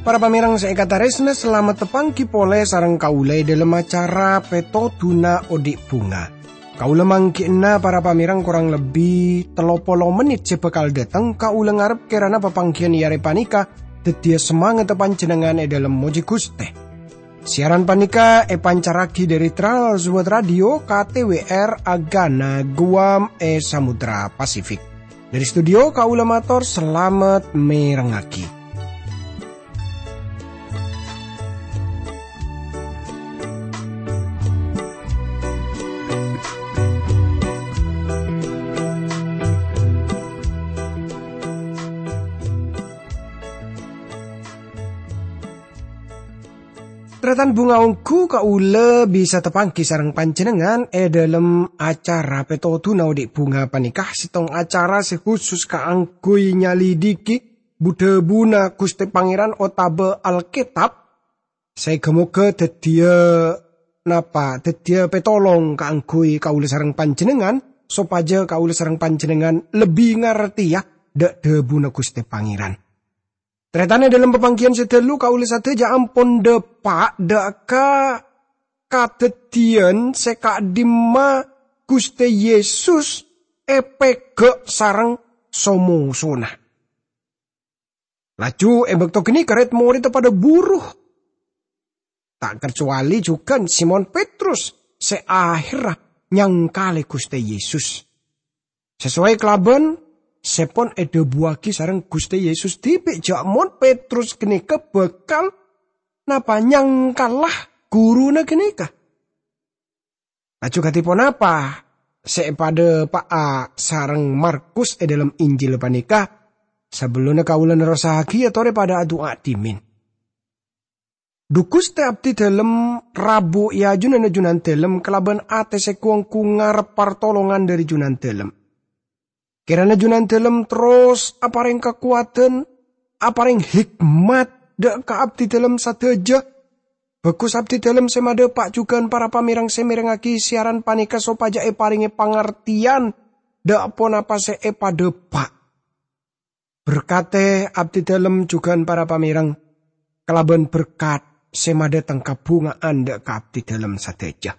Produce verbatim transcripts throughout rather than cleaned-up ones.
Para pamèrèng sè èkatarèsna, salamet tapangghi polè sareng kaulâ è dhâlem acara Pètodhuna Odi' Bhunga. Kaulâ mangghi'na para pamèrèng korang lebbi tello polo mennit sè bhâkal dâteng, kaulâ ngarep kèrana papangghiyân è arè panèka dhâddhiyâ samangatta panjhennengngan è dhâlem mojhi Ghustè. Siaran panèka èpancarraghi dhâri Trans World Radio K T W R Agana Guam è Samudra Pasifik. Dhâri studio kaulâ mator salamet mèrengngaghi. Tarètan bhunga ongghu, kaulâ bisa tapangghi sareng panjhennengngan è dhâlem acara Pètodhuna Odi' Bhunga panèka, sèttong acara sè khusus kaangghuy nyalidhiki bu-dhâbuna Ghustè Pangèran otabâ Alkètab, sè ghâ-moghâ dhâddhiyâ napa? Dhâddhiyâ pètolong kaangghuy kaulâ sareng panjhennengngan, sopajâ kaulâ sareng panjhennengngan lebbi ngartèya dhâ-, dhâbuna Ghustè Pangèran. Tarètan, è dhâlem papangghiyân sè dhâllu kaulâ sadhâjâ ampon dâpa' dhâ' ka kadhâddhiyân sè ka'dimma Ghustè Yesus èpèghâ' sareng so-mosona. Laju è bâkto ghânèka rèd-morèdda padâ buru, ta' kacowalè jhughân Simon Petrus sè ahèrra nyangkalè Ghustè Yesus. Sasowai kalabân sè pon èdhâbuwaghi sareng Ghustè Yesus dhibi' jâ' mon Petrus ghânèka bhâkal napa nyangkala ghuruna ghânèka. Laju kadhi ponapa sè èpadhâpa'a sareng Markus è dhâlem Injil panèka? Sabellunna kaulâ nerrossaghi, torè padâ adu'a dhimèn. Dhu Ghustè, abdhi dhâlem rabu è ajunanna Junandhâlem kalabân atè sè gu-onggu ngarep partolongan dhâri Junandhâlem. Kèrana Junandhâlem terros aparèng kakowadhân, aparèng hikmat dhâ' ka abdhi dhâlem sadhâjâ. Bhâghus abdhi dhâlem sè madhâpa' jhughân para pamèrèng sè mèrèngngaghi siaran panèka sopajâ èparèngè pangartèyan dhâ' ponapa sè èpadhâpa'. Berkatè abdhi dhâlem jhughân para pamèrèng kalabân berkat sè madhâteng kabhunga'an dhâ' ka abdhi dhâlem sadhâjâ.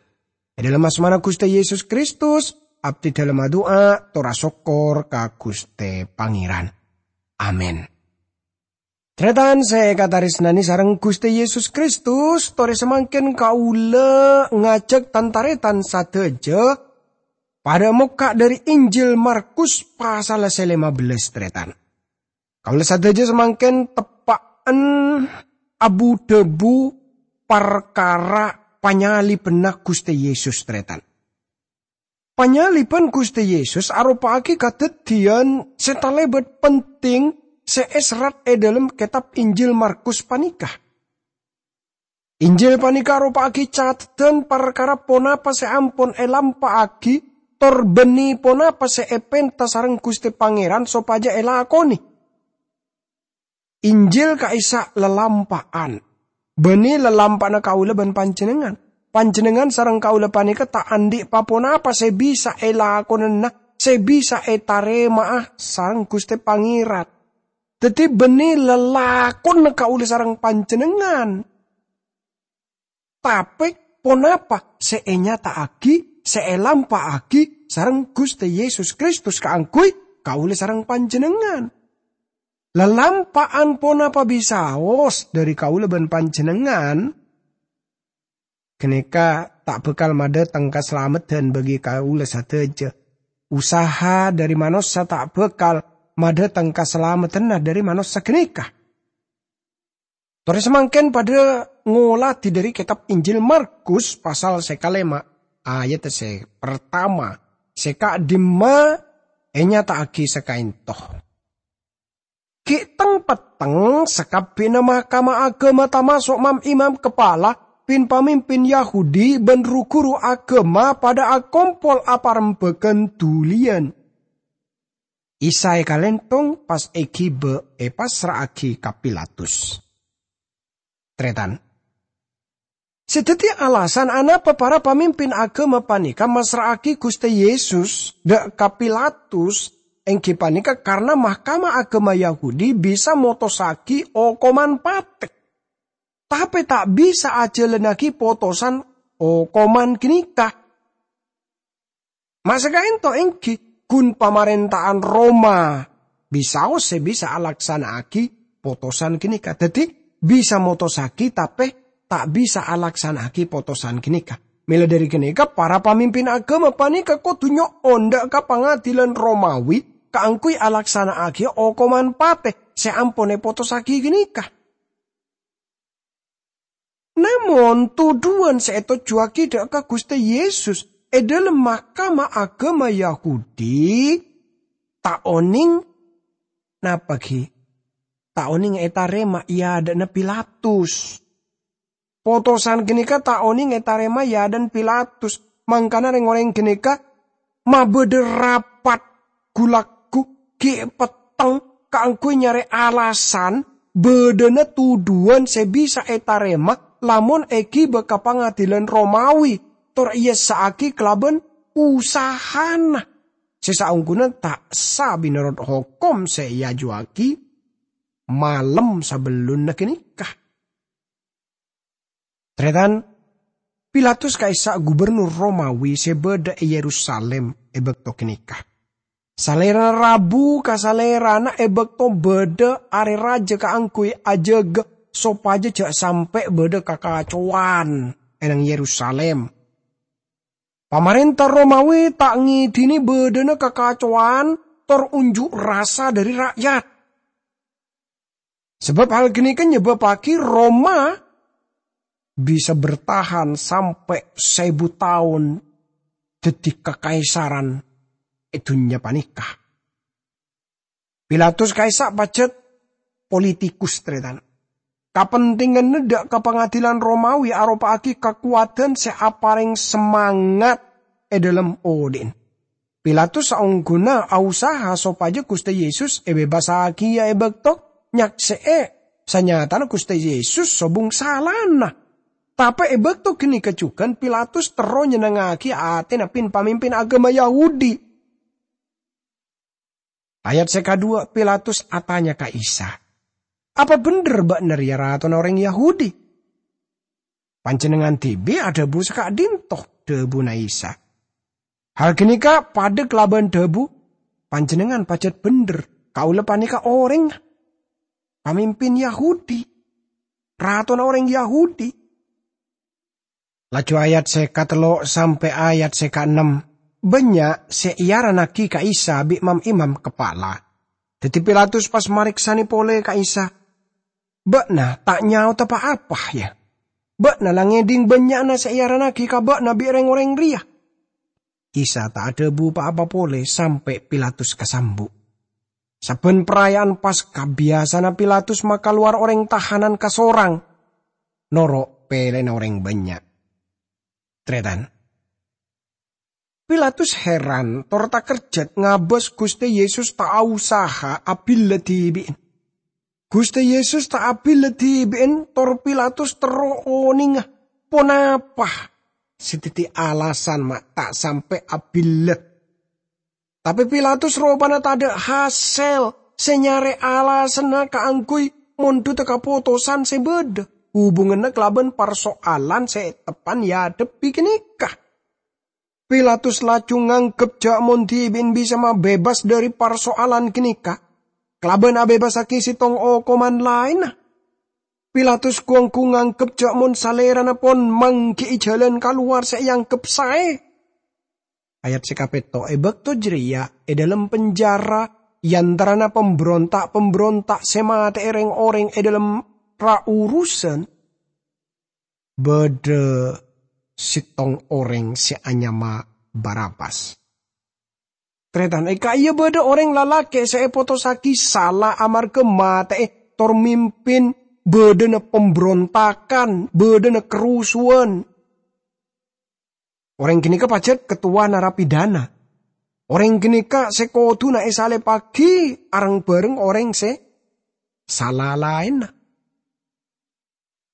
È dhâlem asmana Ghustè Yesus Kristus, abdhi dhâlem adu'a, tor asokkor ka Ghustè Pangèran. Amin. Tarètan sè èkatarèsnanè sareng Ghustè Yesus Kristus, torè samangkèn kaulâ ngajhâk tan-tarètan sadhâjâ padâ mokka' dhâri Injil Markus pasal sè lèma bellâs, tarètan. Kaulâ sadhâjâ samangkèn teppa'an abu-dhâbu parkara panyalibânna Ghustè Yesus, tarètan. Panyalibhân Ghustè Yesus aropa'aghi kadhâddhiyân sè talèbât penting sè èserrat è dhâlem kètab Injil Markus panèka. Injil panèka aropa'aghi cateddhân parkara ponapa sè ampon èlampa'aghi, tor bânnè ponapa sè èpènta sareng Ghustè Pangèran sopajâ èlakonè. Injil ka'issa' lalampa'an. Bânnè lalampa'anna kaulâ bân panjhennengngan. Panjhennengngan sareng kaulâ panèka ta' andi' pa-ponapa sè bisa èlakonana, sè bisa ètarèma'a sareng Ghustè Pangèran. Dhâddhi, bânnè lalakonna kaulâ sareng panjhennengngan. Tapè ponapa sè ènyata'aghi, sè èlampa'aghi sareng Ghustè Yesus Kristus kaangghuy kaulâ sareng panjhennengngan? Lalampa'an ponapa bisaos dhâri kaulâ bân panjhennengngan? Ghânèka ta' bhâkal madhâteng kasalameddhân bagi kaulâ sadhâjâ. Usaha dhâri manossa ta' bhâkal madhâteng kasalameddhânna dhâri manossa ghânèka. Torè samangkèn padâ ngoladhi dhâri kètab Injil Markus pasal sè kalèma, ayat sè partama, sè ka'dimma ènyata'aghi sakaènto. Ghi' teng-petteng sakabbhiyânna mahkamah aghâma, tamaso' mam-imam kapala, pin-pamimpin Yahudi bân ru-ghuru aghâma padâ akompol aparembhâghân dhuliyân. Isa èkalèntong, pas èghibâ, èpassra'aghi ka Pilatus. Tarètan. Se daddi alasan anapa para pamimpin agama paneka masra'agi Guste Yesus dha' ka Pilatus, enggi paneka karna Mahkamah Agama Yahudi bisa motossagi okoman pate, tape ta' bisa ajalannagi potosan okoman ganeka. Masakaento enggi, gun pamarenta'an Roma bisaos se bisa alaksana'agi potosan ganeka. Daddi, bisa motossagi, tape ta' bisa alaksana'agi potosan ganeka. Mela dhari ganeka, para pamimpin agama paneka kodu nyo'on dha' ka pangadilan Romawi kaangguy alaksana'agiya okoman pate se ampon epotossagi ganeka. Namon, tudhuwan se etojjuwagi dha' ka Guste Yesus e dhalem Mahkamah Agama Yahudi ta' oneng, napa gi? Ta' oneng etarema e adha'na Pilatus. Potosan ganeka ta' oneng etarema e adha'na Pilatus, mangkana reng-oreng ganeka mabadha rapat gu-lagghu gi' petteng kaangguy nyare alasan badhana tudhuwan se bisa etarema lamon egiba ka pangadilan Romawi tor eessa'agi kalaban usahana se saongguna ta' essa menorot hokom se eajuwagi malem sabellunna ganeka. Taretan, Pilatus ka'issa' gubernur Romawi se badha e Yerusalim e bakto ganeka. Salerana rabu ka salerana e bakto badha are raja kaangguy ajaga sopaja ja' sampe' badha kakacowan e nang Yerusalim. Pamarenta Romawi ta' ngedhine badhana kakacowan tor unju' rasa dhari ra'yat. Sabab hal ganeka nyebabagi Roma bisa bertahan sampe' saebu taon daddi kakaisaran e dunnya paneka. Pilatus ka'issa' pajat politikus, taretan. Kapentinganna dha' ka pangadilan Romawi aropa'agi kakowadan se apareng semangat e dhalem odhi'na. Pilatus saongguna ausaha sopaja Guste Yesus ebebassagiya e bakto nyakse'e sanyatana Guste Yesus sobung salana. Tape e bakto ganeka jugan Pilatus terro nyenengngagi atena pin-pamimpin agama Yahudi. Ayat se kadhuwa, Pilatus atanya ka Isa, "Apa bendher ba'na reya Ratona oreng Yahudi?" "Panjennengngan dibi' adhabu saka'dhinto'," dhabuna Isa. "Hal ganeka padha kalaban dhabu Panjennengngan pajat bendher, kaula paneka oreng pamimpin Yahudi, Ratona oreng Yahudi." Laju ayat se katello' sampe' ayat se kaennem, bannya' se earannagi ka Isa bi' mam-imam kapala. Daddi Pilatus pas mareksane pole ka Isa, "Ba'na ta' nyaota pa-apa, ya? Ba'na la ngedhing bannya'na se earannagi ka ba'na bi' reng-oreng reya." Isa ta' adhabu pa-apa pole sampe' Pilatus kasambu'. Sabban Paraya'an Paska, biyasana Pilatus makalowar oreng tahanan kasorang, noro' pelena oreng bannya'. Taretan, Pilatus heran tor takerjat ngabas Guste Yesus ta' ausaha abilla dibi'na. Guste Yesus ta' abilla dibi'na tor Pilatus terro onenga ponapa se daddi alasan ma' ta' sampe' abilla. Tape Pilatus ropana tadha' hasel se nyare alasanna kaangguy mondhuda kapotosan se badha hubunganna kalaban parso'alan se teppa'na eadhebbi ganeka. Pilatus laju nganggep ja' mon dibi'na bisa mabebas dhari parso'alan ganeka kalaban abebassagi settong okoman laenna. Pilatus gu-onggu nganggep ja' mon salerana pon manggi'i jalan kalowar se eanggep sae. Ayat se kapetto', e bakto jareya e dhalem penjara, e antarana pambronta'-pambronta' se mate'e reng-oreng e dhalem ra-urusan, badha settong oreng se anyama Barabbas. Taretan, e ka'iyya badha oreng lalake' se epotossagi sala amarga mate'e tor mimpin badhana pambrontagan, badhana karusuwan. Oreng ganeka pajat kettowa narapidana. Oreng ganeka se koduna esalebbagi areng-bareng oreng se sala laenna.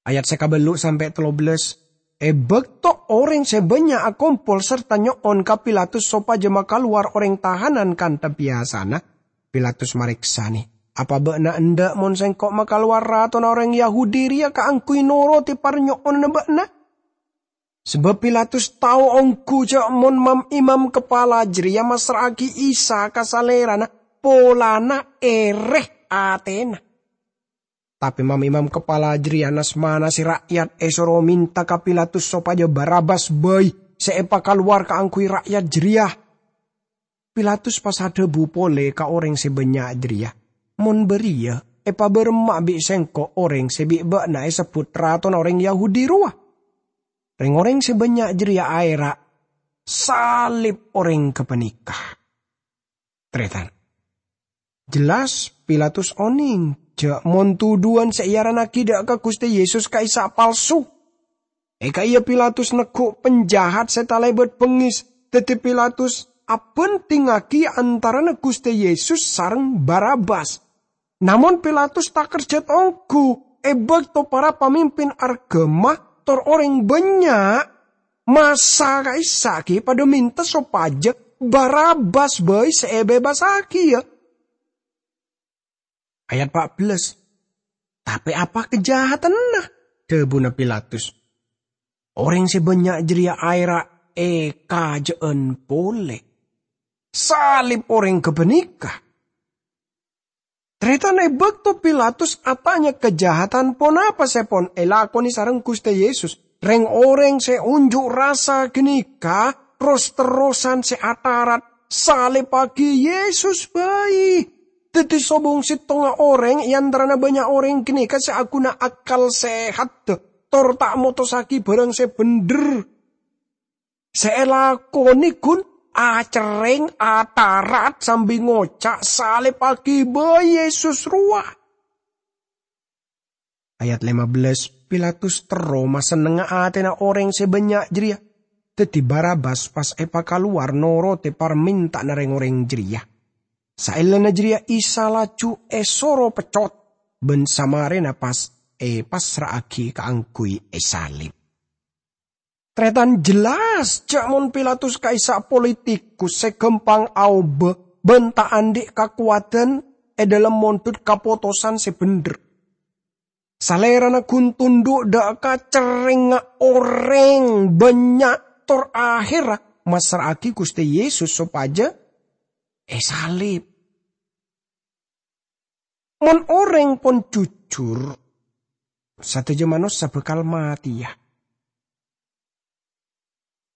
Ayat se kabellu' sampe' tello bellas, E bâkto orèng sè bânnya' akompol sarta nyo'on ka Pilatus sopajâ makalowar orèng tahanan kantha biyasana, Pilatus marèksanè, "Apa bâ'na endâ' mon sèngko' makalowar ratona orèng Yahudi rèya kaangghuy noro'è parnyo'onanna bâ'na?" Sabâb Pilatus tao ongghu jâ' mon mam-imam kapala jârèya massra'aghi Isa ka salèrana polana èrè atèna. Tapè mam-imam kapala jârèya nas-manasè ra'yat èsoro mènta ka Pilatus sopajâ Barabbas bhâi sè èpakalowar kaangghuy ra'yat jârèya. Pilatus pas adhâbu polè ka orèng sè bânnya' jârèya, "Mon bâriyâ, èpabârâmma'a bi' sèngko' orèng sè bi' bâ'na èsebbhut ratona orèng Yahudi rowa?" Rèng-orèng sè bânnya' jârèya aèra', "Salib orèng ghâpanèka!" Tarètan. Jelas, Pilatus onèng jâ' mon tuduwân sè èarannaghi dâ' ka Ghustè Yesus ka'issa' palsu. È ka'iyâ Pilatus neggu' panjahat sè talèbât bengngès, dhâddhi Pilatus abhânḍhingngaghi antarana Ghustè Yesus sareng Barabbas. Namong Pilatus takerjhât ongghu è bâkto para pamimpin arghâma tor orèng bânnya' massa ka'issa' ghi' padâ mènta sopajâ Barabbas bhâi sè èbebassaghiyâ. Ayat pa' bellâs. "Tapè apa kajahatanna?" dhâbuna Pilatus. Orèng sè bânnya' jârèya aèra' èkajâ'ân polè, "Salib orèng ghâpanèka!" Tarètan, è bâkto Pilatus atanya kajahatan ponapa sè pon èlakonè sareng Ghustè Yesus, rèng-orèng sè onjhu' rassa ghânèka ros-terrosan sè atarat, "Salebbhâghi Yesus bhâi!" Dhâddhi sobung settongnga orèng è antarana bânnya' orèng ghânèka sè aghuna akal sèhatta, tor ta' motossaghi bârâng sè bhendher. Sè èlakonè ghun acerrèng, atarat sambi ngoca', "Salebbhâghi bhâi Yesus rowa!" Ayat lèma bellâs, Pilatus terro masennengnga atèna orèng sè bânnya' jârèya. Dhâddhi Barabbas pas èpakalowar noro'è parmènta'anna rèng-orèng jârèya. Saellana jârèya Isa laju èsoro peccot, bân samarèna pas èpassra'aghi kaangghuy èsalib. Tarètan, jelas jâ' mon Pilatus ka'issa' politikus sè ghâmpang aobâ bân ta' anḍi' kakowadhân è dhâlem monḍhut kapotosan sè bhendher. Salèrana ghun tonḍhu' dâ' ka cerrèngnga orèng bânnya' tor ahèrra massra'aghi Ghustè Yesus sopajâ èsalib. Mon orèng pon jujur, sadhâjâ manossa bhâkal matèya.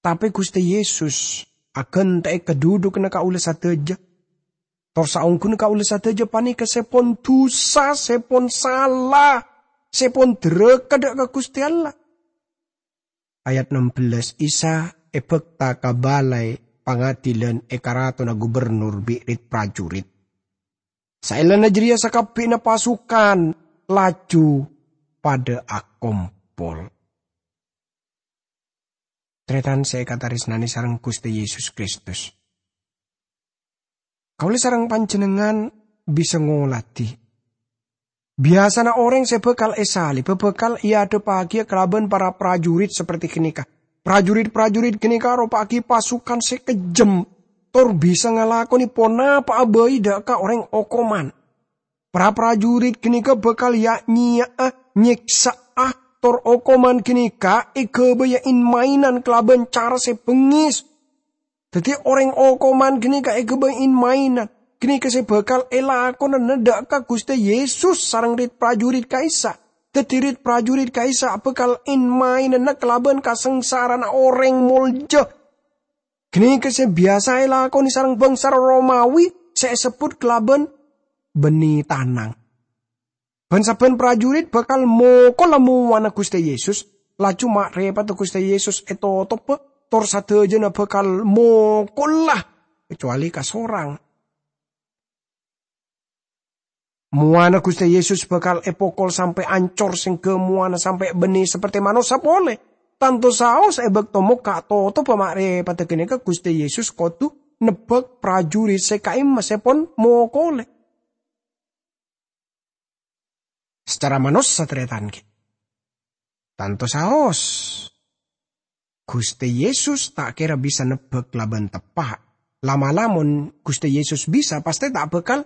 Tapè Ghustè Yesus aghântè'è kadhudhughânna kaulâ sadhâjâ. Tor saongghuna kaulâ sadhâjâ panèka sè pon dhusa, sè pon sala, sè pon dhârâka dâ' ka Ghustè Allah. Ayat ennem bellâs, Isa èbhâkta ka balai pangadhilân è karatonna gubernur bi' rit-parjurit. Saellana jârèya sakabbhiyanna pasukan laju padâ akompol. Tarètan sè èkatarèsnanè sareng Ghustè Yesus Kristus. Kaulâ sareng panjhennengngan bisa ngoladhi. Biyasana orèng sè bhâkal èsalib bhâkal èadhebbhâghiyâ kalabân para parjurit saperti ghânèka. Parjurit-parjurit ghânèka aropa'aghi pasukan sè kejjhem, tor bisa ngalakonè ponapa'a bhâi dâ' ka orèng okoman. Para parjurit ghânèka bhâkal ya'-nyèya'a, nyèksa'a, tor okoman ghânèka èghâbâyâ in-maènan kalabân cara sè bengngès. Dhâddhi, orèng okoman ghânèka èghâbây in-maènan. Ghânèka sè bhâkal èlakonana dâ' ka Ghustè Yesus sareng rit-parjurit ka'issa'. Dhâddhi, rit-parjurit ka'issa' bhâkal in-maènana kalabân kasangsarana orèng molja. Ghânèka sè biyasa èlakonè sareng bhângsa Romawi sè èsebbhut kalabân bânnè tanang. Bân sabbhân parjurit bhâkal mokola mowana Ghustè Yesus, laju ma'rèpadhâ Ghustè Yesus ètotobbhâ, tor sadhâjâna bhâkal mokola, kacowalè kasorang. Mowana Ghustè Yesus bhâkal èpokol sampè' ancor, sèngghâ mowana sampè' bânnè saperti manossa polè. Tanto saos è bâkto mokka' totobbhâ ma'rèpadhâ ghânèka Ghustè Yesus kodhu nebbhâk parjurit sè ka'imma sè pon mokolè. Sacara manossa, tarètan, ghi. Tanto saos. Ghustè Yesus ta' kèra bisa nebbhâk kalabân teppa'. La'-mala' mon Ghustè Yesus bisa, pastè ta' bhâkal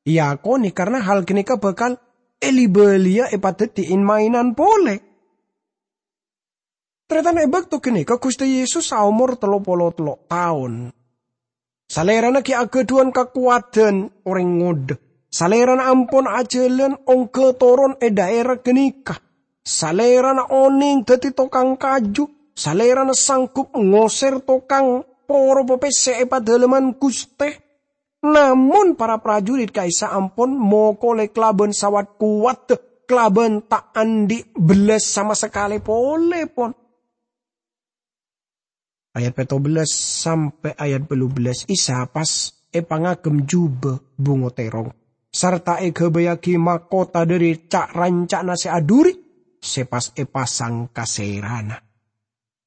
èakonè, karna hal ghânèka bhâkal èli-bâliyâ èpadhâddhi in-maènan polè. Tarètan, è bâkto ghânèka Ghustè Yesus aomor tello polo tello' taon. Salèrana ghi' aghâdhuwân kakowadhân orèng ngodâ. Salèrana ampon ajhâlân ongghâ toron è dhaèra ghânèka. Salèrana onèng dhâddhi tokang kaju. Salèrana sanggup ngosèr tokang poropa pèssè è Padâlemman Ghustè. Namong para parjurit ka'issa' ampon mokolè kalabân sawat kowadhâ, kalabân ta' andi' bellas sama sakalè polè, pon. Ayat pètto bellâs sampè' ayat bâllu bellâs, Isa pas èpangagem jhubâ bhungo tèrong, sarta èghâbâyyaghi mahkota dhâri ca'-ranca'na sè adhuri sè pas èpasang ka sèrana.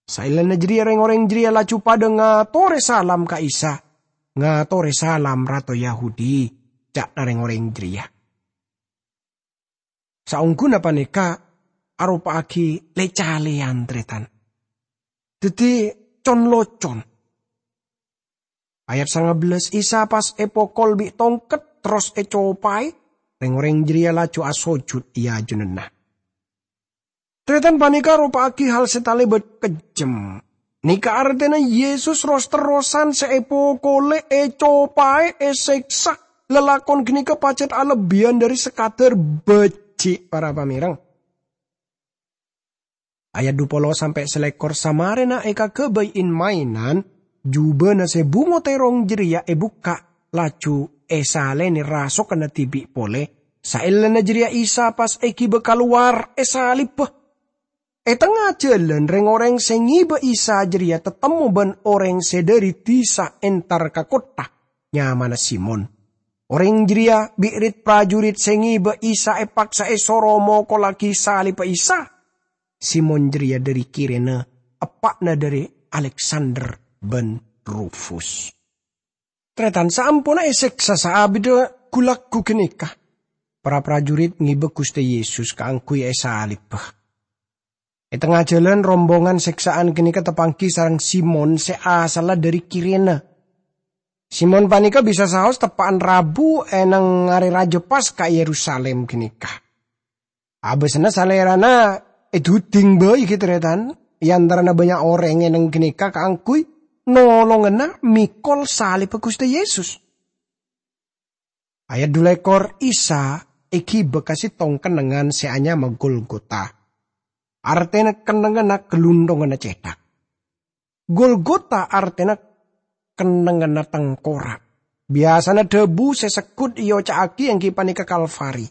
Saellana jârèya rèng-orèng jârèya laju padâ ngatorè salam ka Isa. "Ngatorè salam, Rato Yahudi," ca'na rèng-orèng jârèya. Saongghuna panèka aropa'aghi lè-calèyan, tarètan. Dhâddhi con-locon. Ayat sanga bellâs, Isa pas èpokol bi' tongket, terros ècopaè, rèng-orèng jârèya laju asojud è ajunanna. Tarètan, panèka aropa'aghi hal sè talèbât kejjhem. Nèka artèna Yesus ros-terrosan sè èpokolè, ècopaè, èsèksa. Lalakon ghânèka pajhât alebbiyân dhâri sakadhâr bâji', para pamèreng. Ayat dhu polo sampè' salèkor, samarèna èkaghâbây in-maènan, jhubâna sè bhungo tèrong jârèya èbukka', laju èsalènè rasokanna dhibi' polè. Saellana jârèya Isa pas èghibâ kalowar èsalibbhâ. È tengnga jhâlân, rèng-orèng sè ngibâ Isa jârèya tatemmo bân orèng sè dhâri dhisa entar ka kottha, nyamana Simon. Orèng jârèya bi' rit-parjurit sè ngibâ Isa èpaksa èsoro mokollaghi salibbhâ Isa. Simon jârèya dhâri Kirene, eppa'na dhâri Aleksander bân Rufus. Tarètan, saamponna èsèksa saabidda ghu-lagghu ghânèka, para parjurit ngibâ Ghustè Yesus kaangghuy èsalibbhâ. È tengnga jhâlân, rombongan sèksaan ghânèka tapangghi sareng Simon sè asalla dhâri Kirene. Simon panèka bisa saos teppa'an rabu è neng arè rajâ Paska è Yerusalim ghânèka. Abâsanna salèrana èduding bhâi ghi' tarètan, è antarana bânnya' orèng è neng ghânèka kaangghuy nolongana mèkol salibbhâ Ghustè Yesus. Ayat dhu lèkor, Isa èghibâ ka sèttong kennengngan sè anyama Golgota, artèna kennengnganna Ghâlunthonganna Cèthak. Golgota artèna kennengnganna tengkorak. Biyasana dhâbu sè segghut èoca'aghi èngghi panèka Kalvari.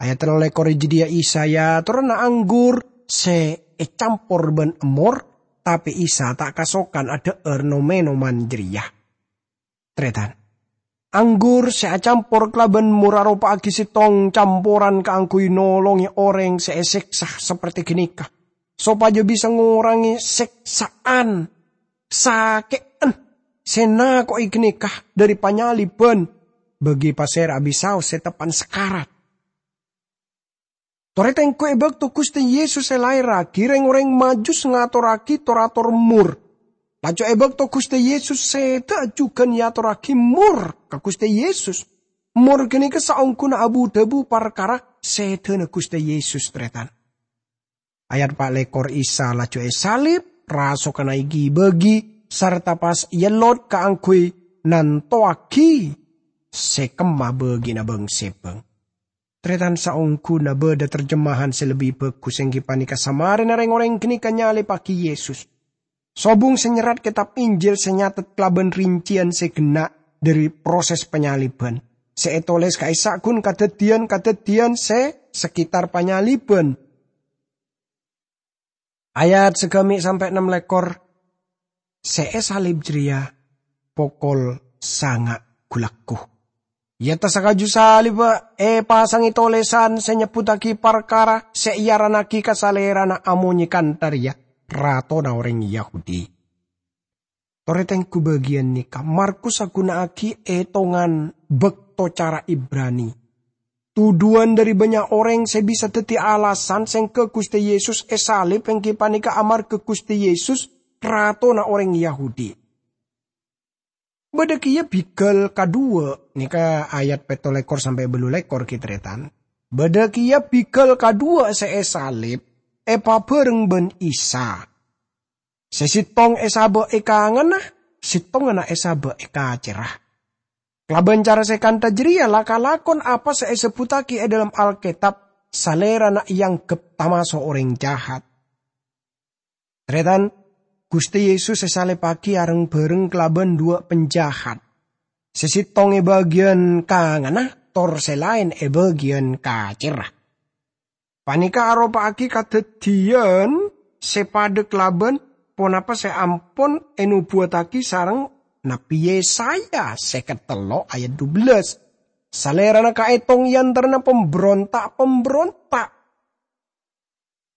Ayat tello lèkor, è jâdiyâ Isa èyatorana anggur sè ècampor bân emmor, tapè Isa ta' kasokan adhâ'âr nom-ènoman jârèya. Tarètan, anggur sè acampor kalabân emmor aropa'aghi sèttong camporan kaangghuy nolongè orèng sè èsèksa saperte ghânèka, sopajâ bisa ngorangè sèksaan, sakè'an sè nako'è ghânèka dhâri panyalibbhân, bâgi pasèra'a bisaos sè teppa'an sakarat. Torè tèngghu è bâkto Ghustè Yesus èlaèrraghi, rèng-orèng Majus ngatorraghi tor-ator emmor. Laju è bâkto Ghustè Yesus sèdhâ jhughân èyatorraghi emmor ka Ghustè Yesus. Emmor ghânèka saongghuna abu-dhâbu parkara sèdhâna Ghustè Yesus, tarètan. Ayat pa' lèkor, Isa laju èsalib, rasokanna èghi-bâghi, sarta pas èellot kaangghuy nantowaghi sè kemma bâgina bâng-sèbâng. Tarètan, saongghuna bâdâ terjemahan sè lebbi bhâghus, èngghi panèka samarèna rèng-orèng ghânèka nyalibbhâghi Yesus. Sobung sè nyerrat kètab Injil sè nyatet kalabân rinciyan sè ghenna' dhâri proses panyalibbhân, sè ètolès ka'issa' ghun kadhâddhiyân-kadhâddhiyân sè saketar panyalibbhân. Ayat sagâmè' sampè' nem lèkor, sè èsalib jârèya pokol sanga' ghu-lagghu. È attas kaju salibbhâ èpasangè tolèsan sè nyebbhuttaghi parkara sè èarannaghi ka Salèrana amonyè kantha rèya, "Ratona orèng Yahudi." Torè tèngghu bâgiyân nèka Markus aghuna'aghi ètongan bâkto cara Ibrani. Tuduwân dhâri bânnya' orèng sè bisa dhâddhi alasan sèngghâ Ghustè Yesus èsalib èngghi panèka amarghâ Ghustè Yesus Ratona orèng Yahudi. Bâdâ kèya bighâl kaduwâ', nèka ayat pètto lèkor sampè' bâllu lèkor, ghi, tarètan. Bâdâ kèya bighâl kaduwâ' sè èsalib, èpabhâreng bân Isa. Sè sèttong èsabâ' è kanganna, sèttonganna èsabâ' è kacèrra. Kalabân cara sè kantha jârèya la kalakon apa sè èsebbhuttaghi è dhâlem Alkètab, Salèrana èangghep tamaso' orèng jahat. Tarètan, Ghustè Yesus èsalibbhâghi areng-bhâreng kalabân duwâ' panjahat. Sè sèttong è bâgiyân kanganna, tor sè laèn è bâgiyân kacèrra. Panèka aropa'aghi kadhâddhiyân sè padâ kalabân ponapa sè ampon ènobuwattaghi sareng Nabbhi Yesaya sèket tello' ayat dubellâs. Salèrana kaètong è antarana pambronta'-pambronta'.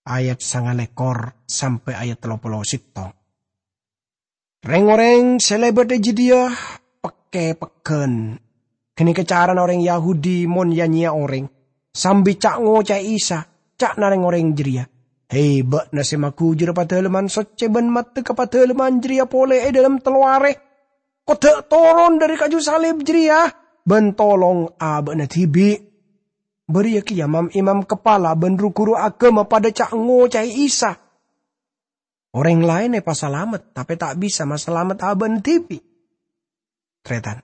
Ayat sanga lèkor sampè' ayat tello polo sèttong. Rèng-orèng sè lèbât è jâdiyâ pèkkè pegghân. Ghânèka carana orèng Yahudi mon ya-nyèya orèng, sambi ca'-ngoca'è Isa, ca'na rèng-orèng jârèya, "Hè, bâ'na sè maghujurâ Padalemman Soccè bân maddhâ ka Padalemman jârèya polè è dhâlem tello arè, kodhâ' toron dhâri kaju salib jârèya, bân tolong abâ'na dhibi'." Bâriyâ kèya mam-imam kapala bân ru-ghuru aghâma padâ ca'-ngoca'è Isa. Orèng laèn èpasalamet, tapè ta' bisa masalamet abâ'na dhibi'. Tarètan.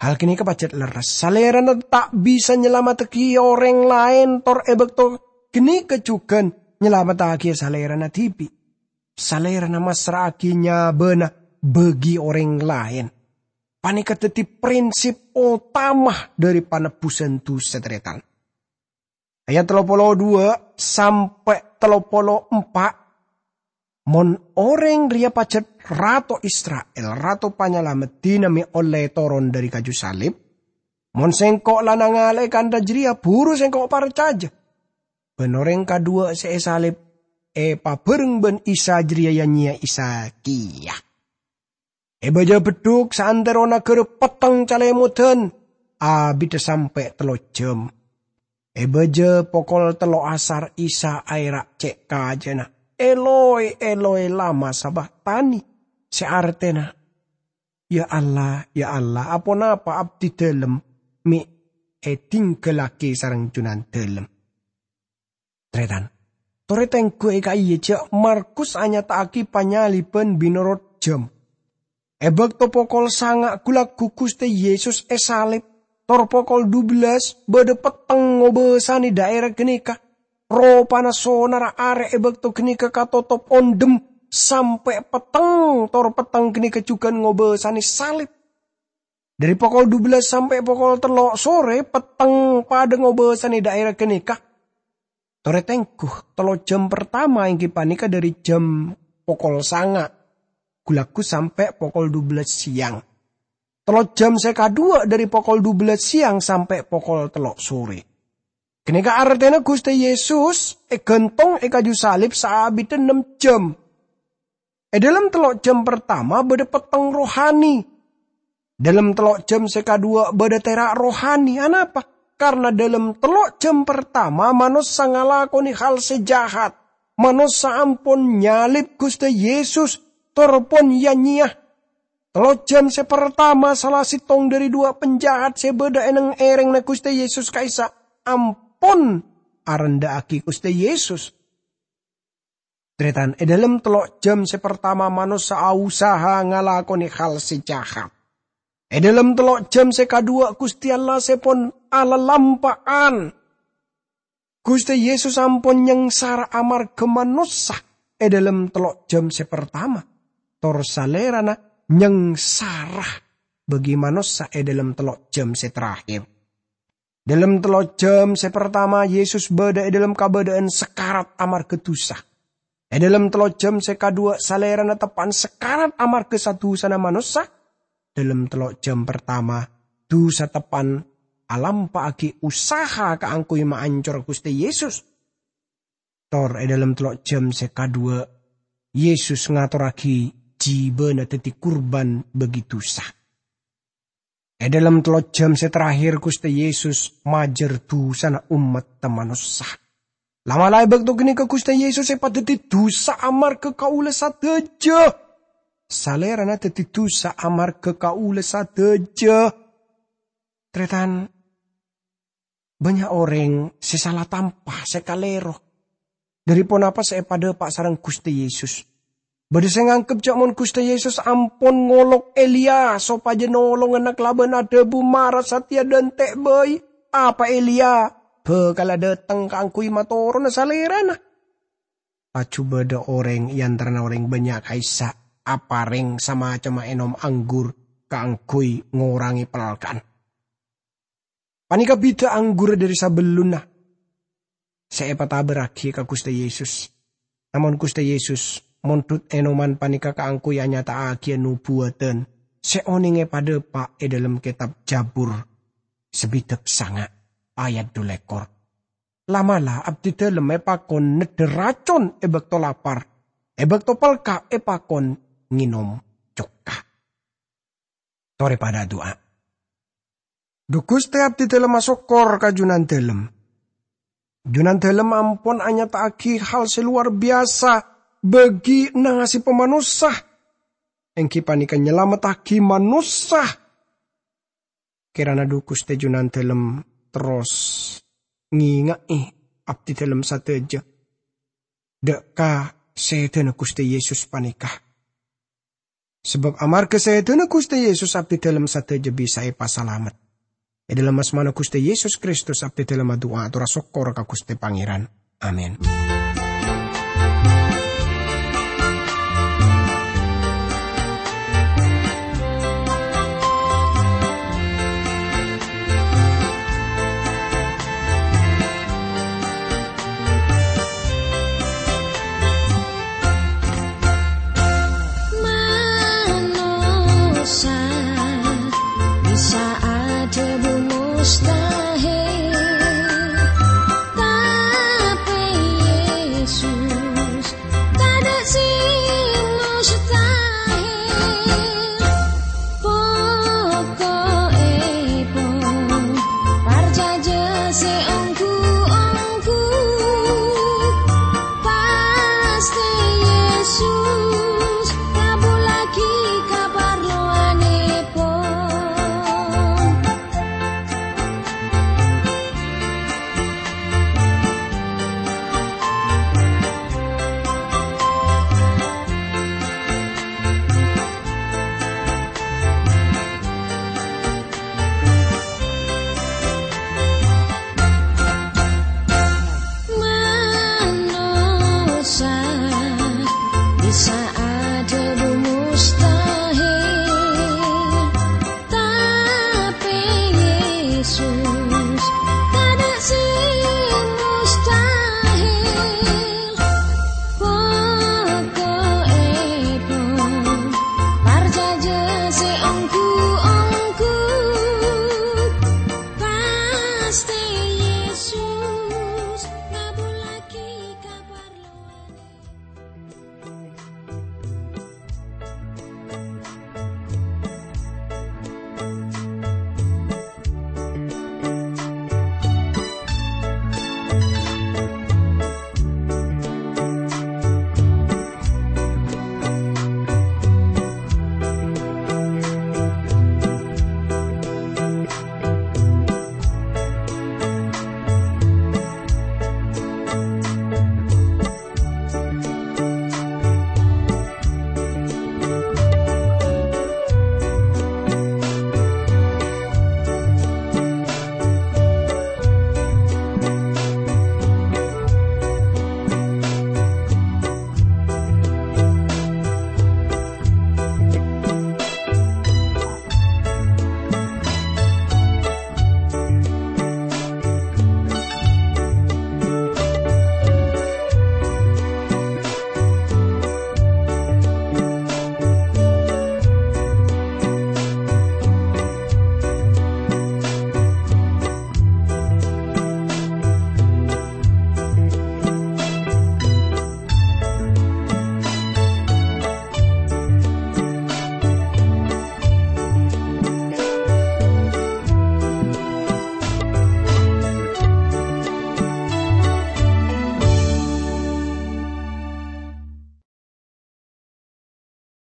Hal ghânèka pajhât lerres. Salèrana ta' bisa nyalamettaghi orèng laèn, tor è bâkto ghânèka jhughân nyalamettaghi Salèrana dhibi'. Salèrana massra'aghi nyabâna bâgi orèng laèn. Panèka dhâddhi prinsip otama dhâri panebbhusân dhusa, tarètan. Ayat tello polo duwâ' sampè' tello polo empa', "Mon orèng rèya pajhât rato Isra'il, rato panyalamet, dinah mè' ollè toron dhâri kaju salib? Mon sèngko' la nangalè'è kantha jârèya, buru sèngko' parcajâ." Bân orèng kaduwâ' sè èsalib èpabhâreng bân Isa jârèya ya-nyèya Isa kèya. È bâjâ beddhuk saantero naghârâ petteng calèmodhân, abiddhâ sampè' tello jhâm. È bâjâ pokol tello' asar Isa aèra' cè' kajâna, "Eloi, Eloi, lama sabakhtani?" sè artèna, "Ya Allah, ya Allah, aponapa abdhi dhâlem mè' èdhinggâllaghi sareng Junandhâlem?" Tarètan. Torè tèngghu è ka'iyâ jâ' Markus anyata'aghi panyalibbhân mènorot jhâm. È bâkto pokol sanga' ghu-lagghu Ghustè Yesus èsalib, tor pokol dubellâs bâdâ petteng ngobâsanè dhaèra ghânèka. Ropana sonarra arè è bâkto ghânèka katotop ondhem sampè' petteng, tor petteng ghânèka jhughân ngobâsanè salib. Dhâri pokol dubellâs sampè' pokol tello' sorè, petteng padâ ngobâsanè dhaèra ghânèka. Torè tèngghu, tello' jhâm partama èngghi panèka dhâri jhâm pokol sanga' ghu-lagghu sampè' pokol dubellâs sèyang. Tello' jhâm sè kaduwâ' dhâri pokol dubellâs sèyang sampè' pokol tello' sorè. Ghânèka artèna Ghustè Yesus èghântong è kaju salib saabiddhâ nem jhâm. È dhâlem tello' jhâm partama bâdâ petteng rohani. Dhâlem tello' jhâm sè kaduwâ' bâdâ tèra' rohani. Anapa? Karna dhâlem tello' jhâm partama manossa ngalakonè hal sè jahat. Manossa ampon nyalib Ghustè Yesus, tor pon ya-nyèya. Tello' jhâm sè partama sala sèttong dhâri duwâ' panjahat sè bâdâ è neng-èrèngnga Ghustè Yesus ka'issa' ampon arendhâ'aghi Ghustè Yesus. Tarètan, è dhâlem tello' jhâm sè partama manossa ausaha ngalakonè hal sè jahat. È dhâlem tello' jhâm sè kaduwâ' Ghustè Allah sè pon alalampa'an. Ghustè Yesus ampon nyangsara amarghâ manossa è dhâlem tello' jhâm sè partama. Tor Salèrana nyangsara bâgi manossa è dhâlem tello' jhâm sè terakhir. Dhâlem tello' jhâm sè partama, Yesus bâdâ è dhâlem kabâdâ'ân sakarat amarghâ dusa. È dhâlem tello' jhâm sè kaduwâ', Salèrana teppa'an sakarat amarghâ sa-dusana manossa. Dhâlem tello' jhâm partama, dusa teppa'an alampa'aghi usaha kaangghuy maancor Ghustè Yesus. Tor è dhâlem tello' jhâm sè kaduwâ', Yesus ngatorraghi jhibâna dhâddhi kurban bâgi dusa. È dhâlem tello jhâm sè terakhir, Ghustè Yesus majâr dhusana ommatta manossa. La'-mala' è bâkto ghânèka Ghustè Yesus èpadhâddhi dhusa amarghâ kaulâ sadhâjâ. Salèrana dhâddhi dhusa amarghâ kaulâ sadhâjâ. Tarètan, bânnya' orèng sè sala tampa, sè kalèro dhâri ponapa sè èpadhâpa' sareng Ghustè Yesus. Bâdâ sè nganggep jhâ' mon Ghustè Yesus ampon ngolok Eliya sopajâ nolongana kalabân adhâbu, "Mara satèya dântè' bhâi, apa Eliya bhâkal adhâteng kaangghuy matorona salèrana?" Laju bâdâ orèng è antarana orèng bânnya' ka'issa' aparèng samacemma ènom anggur kaangghuy ngorangè palka'an. Panèka bhidhâ anggurra dhâri sabellunna sè èpatabârraghi ka Ghustè Yesus. Namong Ghustè Yesus mondhut ènoman panèka kaangghuy anyata'aghiyâ nobuwâdhân sè onèng èpadhâpa' è dhâlem kètab Jabur sabidhâk sanga' ayat dhu lèkor. "La'-mala' abdhidhâlem èpakon neddhâ racon è bâkto lapar, è bâkto palka' èpakon ngènom cokka." Torè padâ adu'a. Dhu Ghustè, abdhidhâlem asokkor ka Junandhâlem. Junandhâlem ampon anyata'aghi hal sè lowar biyasa bagi nasèbhâ manossa, èngghi panèka nyalamettaghi manossa. Kèrana dhu Ghustè Junandhâlem terros ngènga'è abdhidhâlem sadhâjâ dâ' ka sèdhâna Ghustè Yesus panèka. Sabâb amarghâ sèdhâna Ghustè Yesus abdhidhâlem sadhâjâ bisa èpasalamet. È dhâlem asmana Ghustè Yesus Kristus abdhidhâlem adu'a ator asokkor ka Ghustè Pangèran. Amin.